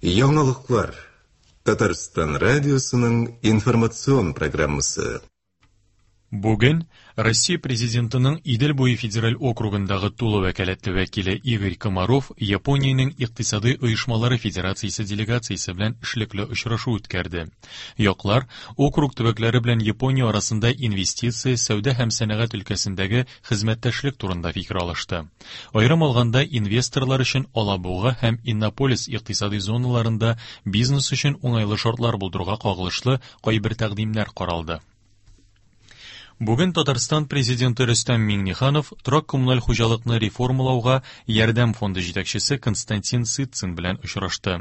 Яңалыклар. Татарстан радиосының информацион программасы. Бүген Россия Президентының Идел буе федераль округындагы тулы вәкаләтле вәкиле Игорь Комаров Япониянең Икътисадый оешмалары федерациясе делегациясе белән эшлекле очрашу үткәрде. Яклар округ төбәкләре белән Япония арасында инвестиция, сәүдә һәм сәнәгать өлкәсендәге хезмәттәшлек турында фикер алышты. Аерым алганда, инвесторлар өчен Алабуга һәм Иннополис икътисадый зоналарында бизнес өчен уңайлы шартлар булдыруга кагылышлы кайбер тәкъдимнәр каралды. Бүген Татарстан Президенты Рөстәм Миңнеханов торак-коммуналь хуҗалыкны реформалауга ярдәм фонды җитәкчесе Константин Сытцин белән очрашты.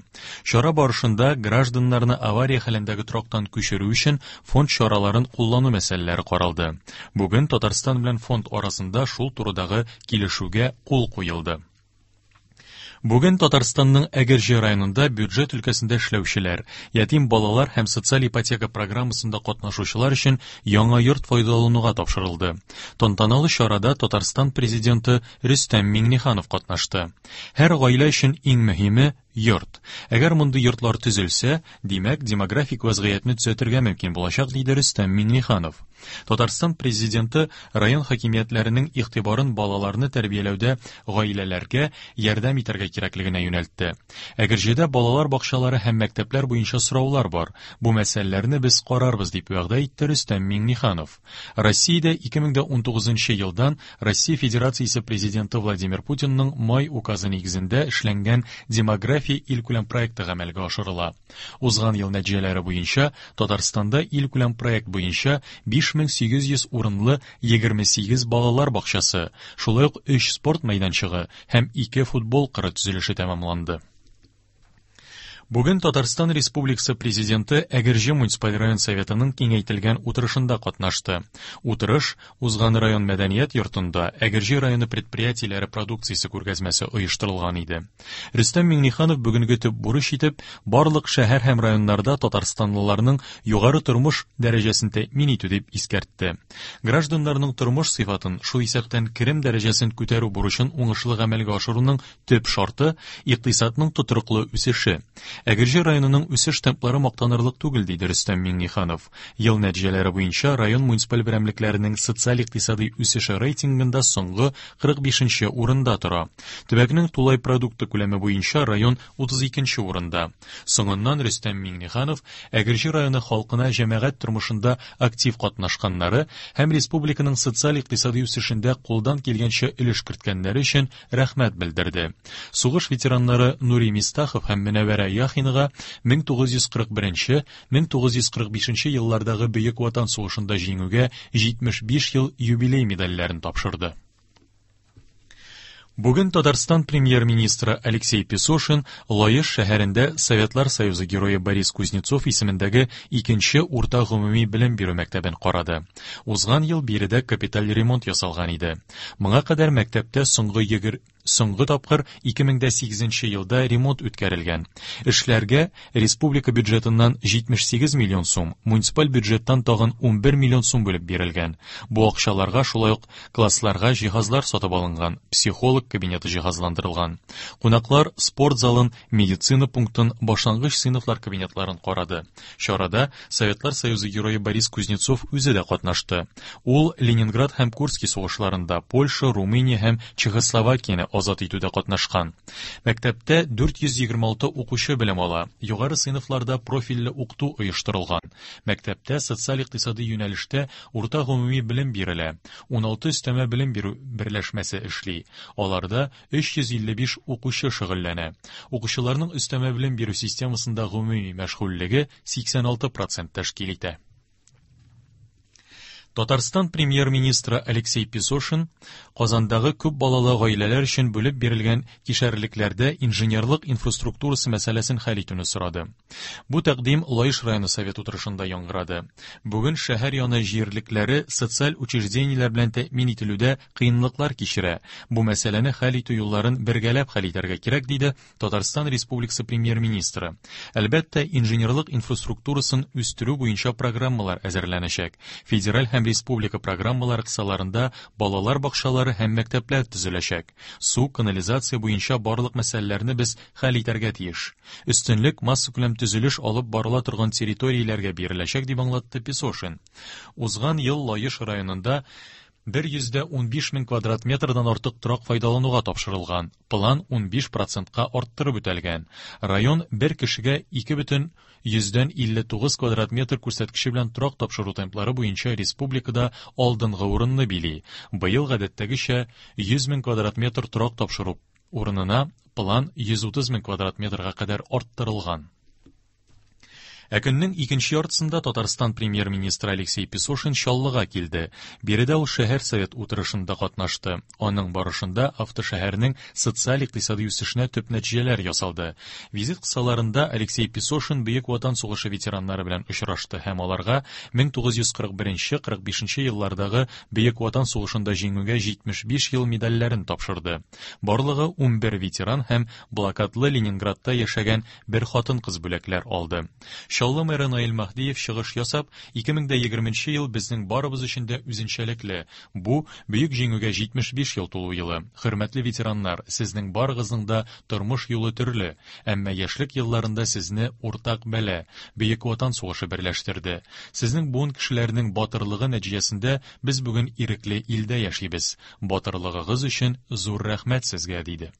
Чара барышында гражданнарны авария хәлендәге торактан күчерү өчен фонд чараларын куллану мәсьәләләре каралды. Бүген Татарстан белән фонд арасында шул турыдагы килешүгә кул куелды. Бүген Татарстанның Әгерҗе районында бюджет өлкәсендә эшләүчеләр, ятим балалар һәм социаль ипотека программасында катнашучылар өчен яңа йорт файдалануга тапшырылды. Тантаналы чарада Татарстан Президенты Рөстәм Миңнеханов катнашты. Һәр гаилә өчен иң мөһиме йорт. Әгәр мондый йортлар төзелсә, димәк, демографик вәзгыятьне төзәтергә мөмкин булачак, диде Рөстәм Миңнеханов. Татарстан Президенты район хакимиятләренең игътибарын балаларны тәрбияләүдә гаиләләргә ярдәм итәргә кирәклегенә юнәлтте. Әгерҗедә балалар бакчалары һәм мәктәпләр буенча сораулар бар. Бу мәсьәләләрне без карарбыз, дип вәгъдә итте Рөстәм Миңнеханов. Россиядә 2019 елдан Россия Федерациясе Президенты Владимир Путинның май указы нигезендә эшләнгән Демография илкүләм проекты гамәлгә ашырыла. Узган ел нәтиҗәләре буенча Татарстанда илкүләм проект буенча 5800 урынлы 28 балалар бакчасы, шулай ук 3 спорт мәйданчыгы һәм 2 футбол кыры төзелеше тәмамланды. Бүген Татарстан Республикасы Президенты Әгерҗе муниципаль район Советының киңәйтелгән утырышында катнашты. Утырыш узган район мәдәният йортында Әгерҗе районы предприятиеләре продукциясе күргәзмәсе оештырылган иде. Рөстәм Миңнеханов бүгенге төп бурыч итеп барлык шәһәр һәм районнарда татарстанлыларның югары тормыш дәрәҗәсен тәэмин итү дип искәртте. Гражданнарның тормыш сыйфатын, шул исәптән керем дәрәҗәсен күтәрү бурычын уңышлы гамәлгә ашыруның Төп шарты, икътисадның тотрыклы үсеше. Әгерҗе районының үсеш темплары мактанырлык түгел, диде Рөстәм Миңнеханов. Ел нәтиҗәләре буенча район муниципаль берәмлекләренең социаль-икътисадый үсеше рейтингында соңгы 45 нче урында тора. Төбәкнең тулай продукты күләме буенча район 32 нче урында. Соңыннан Рөстәм Миңнеханов Әгерҗе районы халкына җәмәгать тормышында актив катнашканнары һәм республиканың социаль-икътисадый үсешендә кулдан килгәнчә өлеш керткәннәре өчен рәхмәт белдерде. Сугыш ветераннары Нури Мистахов һәм Мөнәвәрә Яхинага 1941-1945 еллардагы Бөек Ватан сугышында җиңүгә 75 ел юбилей медальләрен тапшырды. Бүген Татарстан премьер-министры Алексей Песошин Лаеш шәһәрендә Советлар Союзы герое Борис Кузнецов исемендәге икенче урта гомуми белем бирү мәктәбен карады. Узган ел биредә капиталь ремонт ясалган иде. Моңа кадәр мәктәптә соңгы егер соңгы тапкыр 2008 елда ремонт үткәрелгән. Эшләргә республика бюджетыннан 78 миллион сум, муниципаль бюджеттан тагын 11 миллион сум бүлеп бирелгән. Бу акчаларга шулай ук классларга җиһазлар сатып алынган, психолог кабинеты җиһазландырылган. Кунаклар спорт залын, медицина пунктын, башлангыч сыйныфлар кабинетларын карады. Чарада Советлар Союзы герое Борис Кузнецов үзе дә катнашты. Ул Ленинград һәм Курский сугышларында Польша, Румыния һәм Чехословакияне азат итүдә катнашкан. Мәктәптә 426 укучы белем ала, югары сыйныфларда профильле укыту оештырылган. Мәктәптә социаль-икътисадый юнәлештә урта гомуми белем бирелә, 16 өстәмә белем бирү берләшмәсе эшли, аларда 355 укучы шөгыльләнә. Укучыларның өстәмә белем бирү системасында гомуми мәшгульлеге 86 процент тәшкил итә. Татарстан премьер-министры Алексей Песошин Казандагы күп балалы гаиләләр өчен бүлеп бирелгән кишәрлекләрдә инженерлык инфраструктурасы мәсьәләсен хәл итүне сорады. Бу тәкъдим Лаеш районы совет утырышында яңгырады. Бүген шәһәр яны җирлекләре социаль учреждениеләр белән тәэмин ителүдә кыенлыклар кичерә. Бу мәсьәләне хәл итү юлларын бергәләп хәл итәргә кирәк, диде Татарстан Республикасы Премьер-министры. Әлбәттә, инженерлык инфраструктурасын үстерү буенча программалар әзерләнәчәк. Федераль һәм республика программалары кысаларында балалар бакчалары һәм мәктәпләр төзеләчәк. Су, канализация буенча барлык мәсьәләләрне без хәл итәргә тиеш. Өстенлек массакүләм төзелеш алып барыла торган территорияләргә биреләчәк, дип аңлатты Песошин. Узган ел Лаеш районында 115 мең квадрат метрдан артык торак файдалануга тапшырылган. План 15 процентка арттырып үтәлгән. Район бер кешегә 2,59 квадрат метр күрсәткече белән торак тапшыру темплары буенча республикада алдынгы урынны били. Быел гадәттәгечә 100 мең квадрат метр торак тапшыру урынына план 130 мең квадрат метрга кадәр арттырылган. Ә көннең икенче яртысында Татарстан премьер-министры Алексей Песошин Чаллыга килде. Биредә ул шәһәр совет утырышында катнашты. Аның барышында автошәһәрнең социаль-икътисади үсешенә төп нәтиҗәләр ясалды. Визит кысаларында Алексей Песошин Бөек Ватан сугышы ветераннары белән очрашты һәм аларга 1941-45 еллардагы Бөек Ватан сугышында җиңүгә 75 ел медальләрен тапшырды. Барлыгы 11 ветеран һәм блокадлы Ленинградта яшәгән бер хатын-кыз бүләкләр алды. Чаллы мэры Наил Маһдиев чыгыш ясап, 2020 ел безнең барыбыз өчен дә үзенчәлекле. Бу Бөек Җиңүгә 75 ел тулу елы. Хөрмәтле ветераннар, сезнең барыгызның да тормыш юлы төрле, әмма яшьлек елларында сезне уртак бәла, Бөек Ватан сугышы берләштерде. Сезнең буын кешеләренең батырлыгы нәтиҗәсендә без бүген ирекле илдә яшибез. Батырлыгыгыз өчен зур рәхмәт сезгә, диде.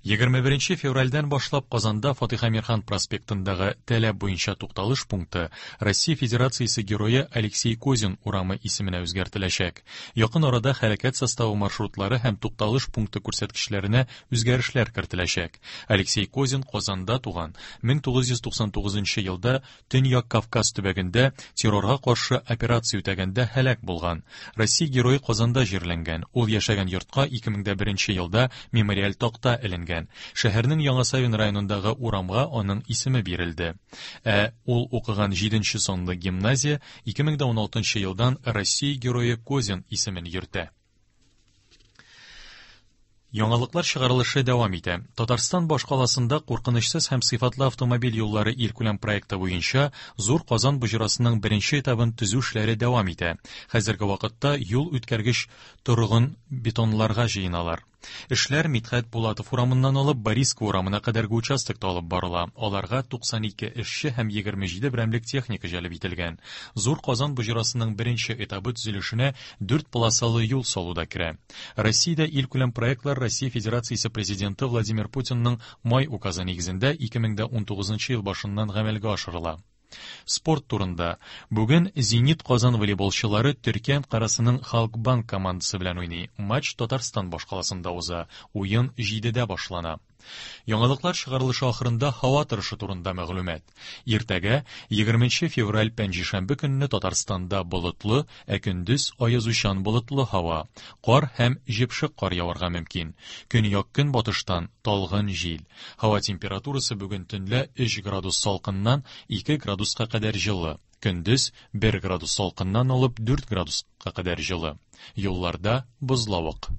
21 февральдән башлап Казанда Фатих Әмирхан проспектындагы таләп буенча тукталыш пункты Россия Федерациясе герое Алексей Козин урамы исеменә үзгәртеләчәк. Якын арада хәрәкәт составы маршрутлары һәм тукталыш пункты күрсәткечләренә үзгәрешләр кертеләчәк. Алексей Козин Казанда туган. 1999 елда Төньяк Кавказ төбәгендә террорга каршы операция үтәгәндә һәлак булган. Россия герое Казанда җирләнгән. Ул яшәгән йортка 2001 елда мемориаль такта эленгән. Шәһәрнең Яңа Савин районындагы урамга аның исеме бирелде. Ә ул укыган 7 санлы гимназия 2016 елдан Россия герое Козин исемен йөртә. Яңалыклар чыгарылышы дәвам итә. Татарстан башкаласында куркынычсыз һәм сыйфатлы автомобиль юллары илкүләм проекты буенча Зур Казан боҗрасының беренче этабын төзү эшләре дәвам итә. Хәзерге вакытта юл үткәргеч торгын бетонларга җыеналар. Эшләр Мидхәт Булатов урамыннан алып Бориско урамына кадәрге участокта алып барыла. Аларга 92 эшче һәм 27 берәмлек техника җәлеп ителгән. Зур Казан боҗрасының беренче этабы төзелешенә 4 полосалы юл салу да керә. Россиядә илкүләм проектлар Россия Федерациясе Президенты Владимир Путинның май указы нигезендә 2019 ел башыннан гамәлгә ашырыла. Спорт турында. Бүген Зенит Казан волейболчылары Төркия Анкарасының Халкбанк командасы белән уйный. Матч Татарстан башкаласында уза. Уен 7-дә башлана. Яңалыклар чыгарылышы ахырында һава торышы турында мәгълүмат. Иртәгә 20 февраль пәнҗешәмбе көнне Татарстанда болытлы, ә көндез аязучан болытлы һава. Кар һәм җепшек кар яварга мөмкин. Көньяк-көнбатыштан талгын җил. Һава температурасы бүген төнлә 3 градус салкыннан 2 градуска кадәр җылы. Көндез 1 градус салкыннан алып 4 градуска кадәр җылы. Юлларда бозлавык.